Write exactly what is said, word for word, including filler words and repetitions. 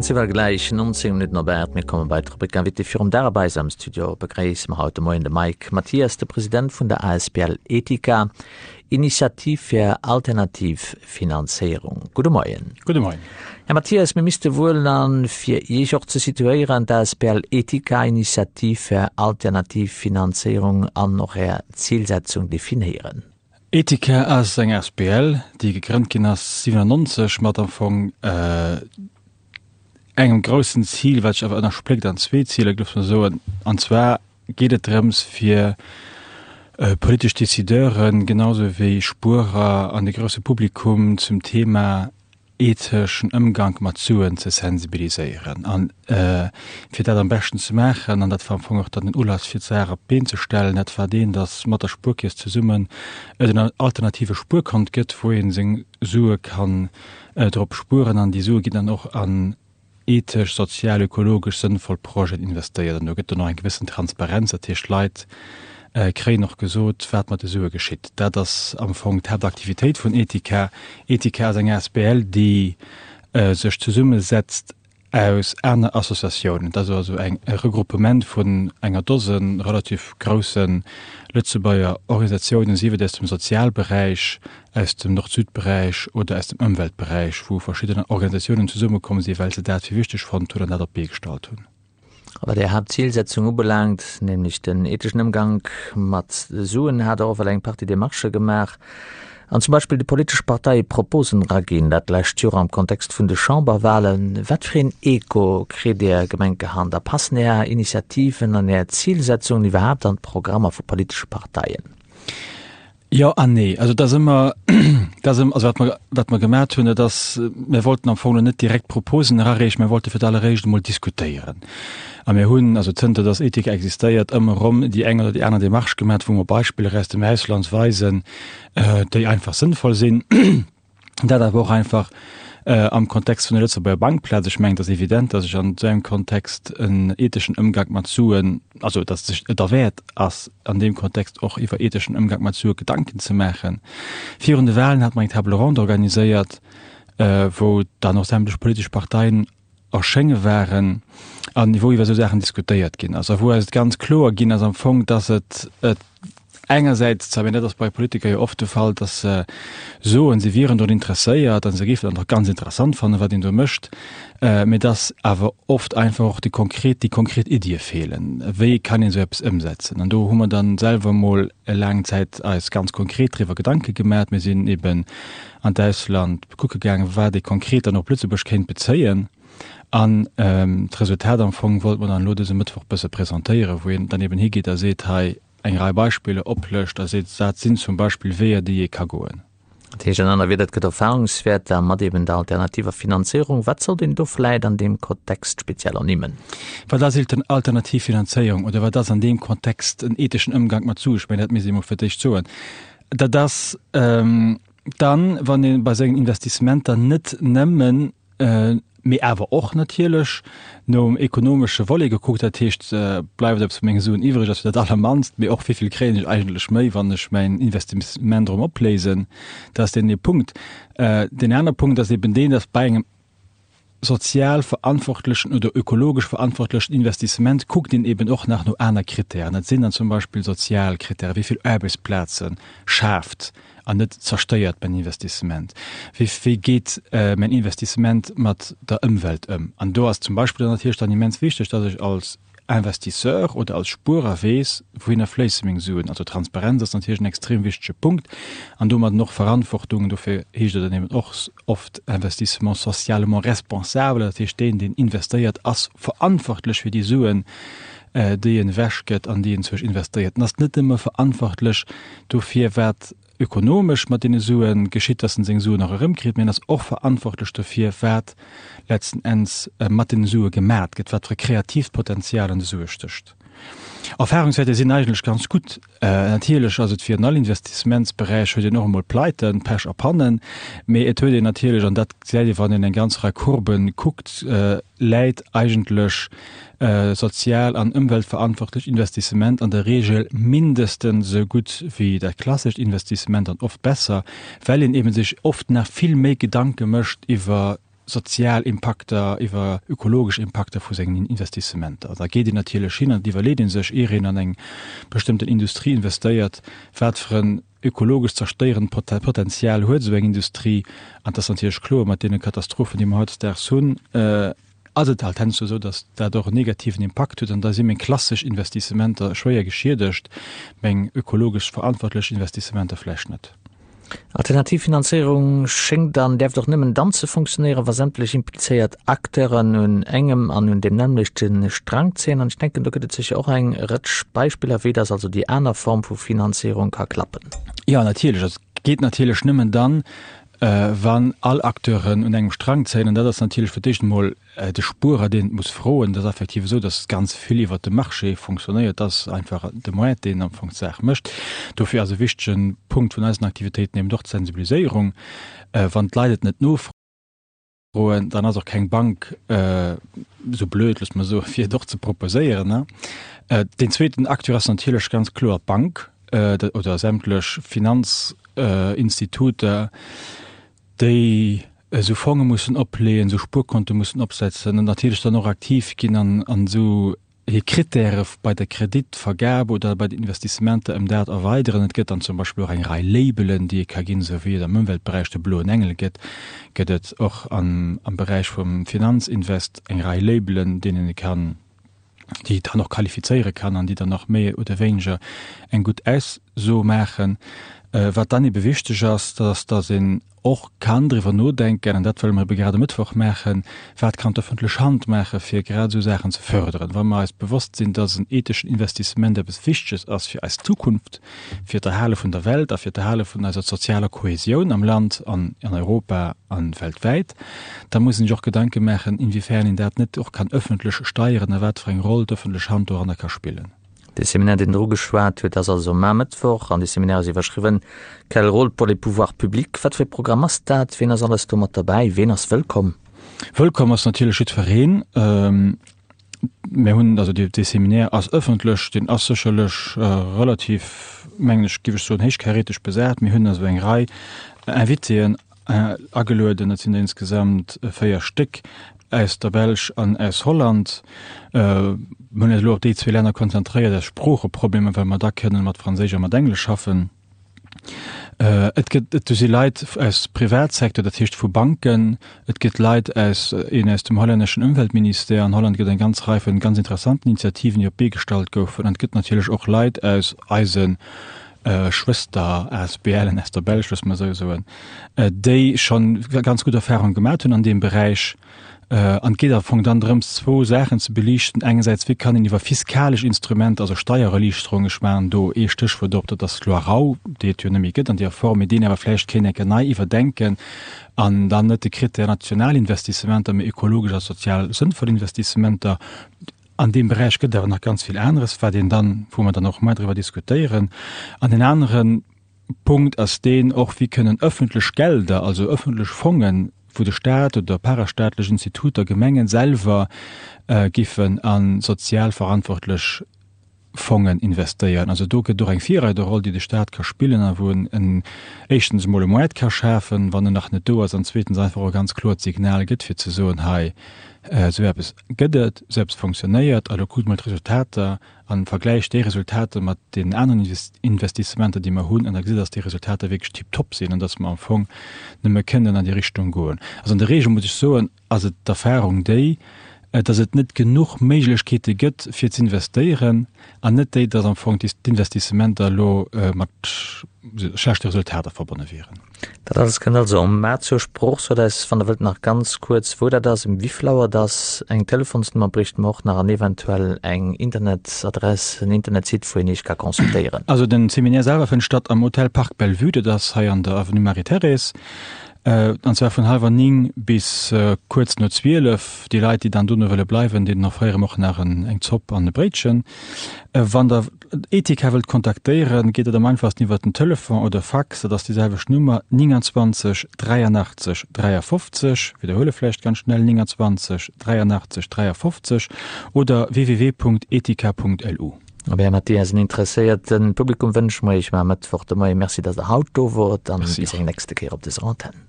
Ziwwer gläich nonzéng Minutten op aacht. Mir komme bei d'Rubrik Invité. Virum Dag bei eis am Studio begréisse mer haut de Moien de Mike Mathias, de President vun der asbl Etika, Initiativ fir alternativ Finanzéierung. Gudde Moien. Gudde Moien. Här Mathias, mir misste wuel dann, fir Iech och ze situéieren, d'asbl Etika, Initiativ fir alternativ Finanzéierung an och Är Zilsetzung definéieren. Etika ass eng asbl, déi gegrënnt ginn ass siwenannonzeg mat am Fong engem groussen Zil, wat sech awer ënnerspléckt an zwee Ziler, géif ech mol soen. An zwar geet et drëms, fir politesch Décideuren, genau sou wéi Spuerer an de grousse Publikum zum Thema etheschen Ëmgank mat Suen ze sensibiliséieren. An fir dat am beschten ze maachen, an dat war am Fong och dann den Ulass fir d'Saach op d'Been ze stellen, dat war deen, datt mat der Spuerkeess zesummen et en alternative Spuerkont gëtt, wou ee seng Sue kann drop spueren an déi Sue ginn dann och an ethesch, sozial, ökologesch sënnvoll Projeten investéiert. An do gëtt dann och eng gewëssen Transparenz, dat heescht d'Leit kréien och gesot, wat mat de Sue geschitt. Dat ass am Fong d'Haaptaktivitéit vun Etika. Etika ass eng asbl, déi sech zesummesetzt aus aner Associatiounen. Dat ass also eng e Regroupement vun enger Dose relativ grousse Lëtzebuerger Organisatiounen, sief et aus dem Sozialberäich, aus dem Nord-Süd-Beräich oder aus dem Ëmweltberäich, wou verschidden Organisatiounen zesummekomm sinn, well se dat fir wichteg fonnt hunn an dat op d'Bee gestallt hunn. A wat Är Haaptzilsetzung ubelaangt, nämlech den etheschen Ëmgank mat Suen, hat Der och well eng Partie Demarchë gemaach an zum Beispill de politesche Parteie Proposen eraginn, dat lescht Joer am Kontext vun de Chamberwahlen. Wat fir een Echo kritt Är Gemenkehand a passen Är Initiativen an Är Zilsetzungen iwwerhaapt an d'Programmer vu politesche Parteien? Jo an nee. Also et ass ëmmer, et ass ëmmer, also wat mer, wat mer gemat hunn, dat ass, mir wollten am Fong elo net direkt Proposen erareechen, mir wollte fir d'alleréischt emol diskutéieren. A mir hunn, also zënter datt Ethik existéiert, ëmmer erëm déi eng oder déi aner Démarche gemat, wou mer Beispiller aus dem Ausland weisen, déi einfach sënnvoll sinn. Dat awer och einfach am Kontext vun der Lëtzebuerger Bankplaz. Ech mengen, et ass evident, datt ech an esou engem Kontext en etheschen Ëmgank mat Suen, also datt sech et derwäert ass, an deem Kontext och iwwer etheschen Ëmgank mat Sue Gedanken ze maachen. Virun de Wahlen hat mer eng Table ronde organiséiert, wou dann och sämtlech politesch Parteien erschénge waren an wou iwwer esou Saachen diskutéiert ginn ass a wou eis et ganz kloer ginn ass am Fong, dass et et engersäits zwar, mä dat ass bei Politiker jo oft de Fall, dass se soen, se wieren drun interesséiert a se géifen dat och ganz interessant fannen, wat een do mécht, mä dass awer oft einfach och déi konkret, déi konkret Iddie feelen, wéi kann een esou eppes ëmsetzen. An do hu mer dann selwer emol laang Zäit eis ganz konkret driwwer Gedanke gemat. Mir sinn eben an d'Ausland kucke gaangen, wat ee konkret dann op Lëtzebuerg kéint bezéien. An d'Resultat am Fong wollte mer dann elo dëse Mëttwoch bësse presentéieren, wou een dann eben higeet a seet, hei eng Rei Beispiller oplëscht a seet, dat sinn zum Beispill Weeër, déi ee ka goen. Dat heescht an aner Wieder, et gëtt Erfahrungswäerter mat eben der alternativer Finanzéierung. Wat sollt een do vläit an deem Kontext speziell ernimmen? Wat ass alternativ Finanzéierung oder wat ass an deem Kontext en etheschen Ëmgank mat Suen? Ech mengen, dat misst ee mol fir d'éischt soen. Dat ass dann, wann ee bei sengen Investissementer net nëmmen, mee awer och natierlech nom ekonomesche Volet gekuckt, dat heescht, bleift eppes vu menge Suen iwwreg, ass jo dat Allermannst, mee och wéi vill kréien ech eigentlech méi, wann ech mäin Investissement erëm opléisen. Dat ass deen ee Punkt. Deen aner Punkt ass eben deen, dass bei engem sozial verantwortlechen oder ökologesch verantwortlechen Investissement kuckt een eben och nach no aner Kritären. Dat sinn dann zum Beispill sozial Kritären, wéi vill Aarbechtsplaze schaaft an net zerstéiert mäin Investissement, wéi wéi geet mäin Investissement mat der Ëmwelt ëm. An do ass zum Beispill dann natierlech dann immens wichteg, dass ech als Investisseur oder als Spuerer weess, wouhinner fléisse meng Suen. Also Transparenz ass natierlech en extrem wichtege Punkt an domadden och Verantwortung. Dofir heescht et dann eben och oft Investissement socialement responsable, dat heescht deen, deen investéiert, ass verantwortlech fir déi Suen, déi en ewechgëtt an déi en zwësch investéiert. En ass net nëmme verantwortlech dofir, wat ökonomesch mat deene Sue geschitt, dass en seng Suen och erëmkritt, mee en ass och verantwortlech dofir, wat letzten Enns mat deene Sue gemat gëtt, wat fir e kreatiivt Potenzial an de Sue stécht. Erfahrungswäerter sinn eigentlech ganz gutt. Natierlech ass et wéi an all Investissementsberäich, huet een och emol Pleiten, Pech a Pannen, mee et huet een natierlech, an dat gesäit ee wann een eng ganz Rei Courben kuckt, läit eigentlech sozial an ëmweltverantwortlech Investissement an der Regel mindestens esou gutt wéi dat klassescht Investissement an oft besser, well een eben sech oft nach vill méi Gedanke mécht iwwer sozial Impakter, iwwer ökologesch Impakter vu sengen Investissementer. Da geet een natierlech hin an et iwwerleet ee sech, ier een an eng bestëmmten Industrie investéiert, wat fir en ökologesch zerstéierend Potenzial huet esou eng Industrie. An et ass natierlech kloer, mat deene Katastrophen, déi mer hautdesdaags hunn, ass et halt heiansdo esou, datt dat och en negativen Impakt huet. An da si meng klassesch Investissementer schwéier geschiedegt, meng ökologesch verantwortlech Investissementer vläicht net. Alternativ Finanzéierung schéngt an däerft och nëmmen dann ze funktionéieren, wa sämtlech implizéiert Acteuren un engem an un deem nämmlechte Strang zéien. An ech denken, do gëtt et sécher och eng Rëtsch Beispiller, wéi dass also déi aner Form vu Finanzéierung ka klappen. Jo, natierlech. Et geet natierlech nëmmen dann, wann all Acteuren un engem Strang zéien. An dat ass natierlech fir d'éischt emol de Spuerer, deen et muss froen. Et ass effektiv esou, datt ganz vill iwwert de Marché fonctionnéiert. Dat ass einfach de Moart, deen am Fong d'Saach mécht. Dofir ass e wichtege Punkt vun eisen Aktivitéiten eben och d'Sensibiliséierung. Wann d'Leit et net nofroen, dann ass och keng Bank esou blöd, loosse mer soen, fir et och ze proposéieren. Deen zweeten Acteur ass natierlech ganz kloer d'Bank oder sämtlech Finanzinstituter, déi esou Fonge mussen opleeën, esou Spuerkonte mussen opsetzen an natierlech dann och aktiv ginn an esou hir Kritäre bei der Kreditvergab oder bei den Investissementer ëm dat erweideren. Et gëtt dann zum Beispill och eng Rei Labelen, déi ee ka ginn, esou wéi et am Ëmweltberäich de bloen Engel gëtt, gëtt et och am Beräich vum Finanzinvest eng Rei Labelen, deenen ee kann, déi dann och qualifizéiere kann an déi dann och méi oder wéineger eng gutt Ausso maachen. Wat dann ebe wichteg ass, dat ass, datt een och kann driwwer nodenken, an dat wëlle mer ebe grad e Mëttwoch maachen, Wat kann d'öffentlech Hand maachen, fir grad esou Saachen ze förderen? Wa mer eis bewosst sinn, datt en etheschen Investissement eppes Wichteges ass fir eis Zukunft, fir d'Erhale vun der Welt a fir d'Erhale vun eiser sozialer Kohäsioun am Land an an Europa a weltwäit, da muss een sech och Gedanke maachen, inwiefern een dat net och kann öffentlech steieren a wat fir eng Roll d'öffentlech Hand doranner ka spillen. Dee Seminaire, deen Der ugeschwat hutt, ass also mar Mëttwoch an dee Seminaire ass iwwerschriwwen Quel rôle pour les pouvoirs publics? Wat fir e Programm ass dat? Ween ass alles do mat derbäi? Ween ass wëllkomm? Wëllkomm ass natierlech jiddwereen. Mir hunn, also dee Seminaire ass ëffentlech, deen ass sécherlech relativ, mengen ech, géif ech soen, héichkaräteg besat. Mir hunn also eng Rei Invitéen agelueden, dat sinn der insgesamt véier Stéck aus der Belsch an aus Holland. Mir hunn eis elo op déi zwee Länner konzentréiert aus Sproocheproblemer, well mer da kënnen mat Franséisch a mat Englesch schaffen. Et gëtt, et si Leit aus Privatsecteur, dat heescht vu Banken, et gëtt Leit aus, een aus dem hollänneschen Ëmweltministère, an Holland gëtt eng ganz Rei vun ganz interessanten Initiativen, déi op d'Bee gestallt goufen, an et gëtt natierlech och Leit aus eise Schwëster-ASBLen aus der Belsch, loosse mer esou soen, déi scho ganz gutt Erfahrung gemat hunn an deem Beräich. An et geet am Fong dann drëms, zwou Saachen ze beliichten, engersäits, wéi kann een iwwer fiskalesch Instrumenter, also Steiererliichterung, ech maachen do ee Stéchwuert op, dat ass d'Loi Rau, déi et jo net méi gëtt an deer Form, mee déi een awer vläicht kéint eng Kéier nei iwwerdenken an dann net de Critère national Investissementer, mee ökologesch a sozial sënnvoll Investissementer. An deem Beräich gëtt et awer nach ganz vill aneres, wat een dann, wou mer dann och muer driwwer diskutéieren. An deen anere Punkt ass deen och, wéi kënnen öffentlech Gelder, also öffentlech Fongen, wou de Stat oder parastaatlech Instituter, Gemengen selwer giffen a sozial verantwortlech Fongen investéieren. Also do gëtt et och eng Virreiderroll, déi de Stat ka spillen a wou en en éischtens emol e Moart ka schafen, wann en nach net do ass, an zweetens einfach och e ganz kloert Signal gëtt, fir ze soen, hei, esou eppes gëtt et, esou eppes fonctionnéiert, a lo kuckt mol d'Resultater a vergläicht déi Resultater mat deenen aneren Investissementer, déi mer hunn, an da gesitt Der, dass déi Resultater wierklech tiptop sinn an dass mer am Fong nëmme kënnen an déi Richtung goen. Also an der Regel, muss ech soen, ass et d'Erfahrung déi, dass et net genuch Méiglechkeete gëtt fir z'investéieren an net déi, dass am Fong d'Investissementer elo mat schlechte Resultater verbonne wieren. Dat alles kënnt also am Mä zur Sprooch. Sot eis, wann Der wëllt, nach ganz kuerz, wou dat ass, ëm wéivill Auer et ass. Eng Telefonsnummer bréichte mer och nach an eventuell eng Internetadress, en Internetsite, wou een Iech ka consultéieren. Also den Seminaire selwer fënnt statt am Hotel Parc Bellevue, dat ass hei an der Avenue Marie-Thérèse. An zwar vun hallwer néng bis kuerz no zwielef. Déi Leit, déi dann dono wëlle bleiwen, deenen offréiere mer och nach eng Zopp an e Bréitchen. Wann Der Etika wëllt kontaktéieren, geet dat am einfachsten iwwer den Telefon oder Fax. Dat ass déi selwecht Nummer, neunundzwanzeg dräianachtzeg dräiafofzeg, widderhuele vläicht ganz schnell, neunundzwanzeg dräianachtzeg dräiafofzeg oder www.etika.lu. Op Här Mathias, en interesséierte Publikum wënsche mer Iech mar Mëttwoch de Moien. Merci, dass Der haut do wort an bis eng nächste Kéier op dëser Antenn.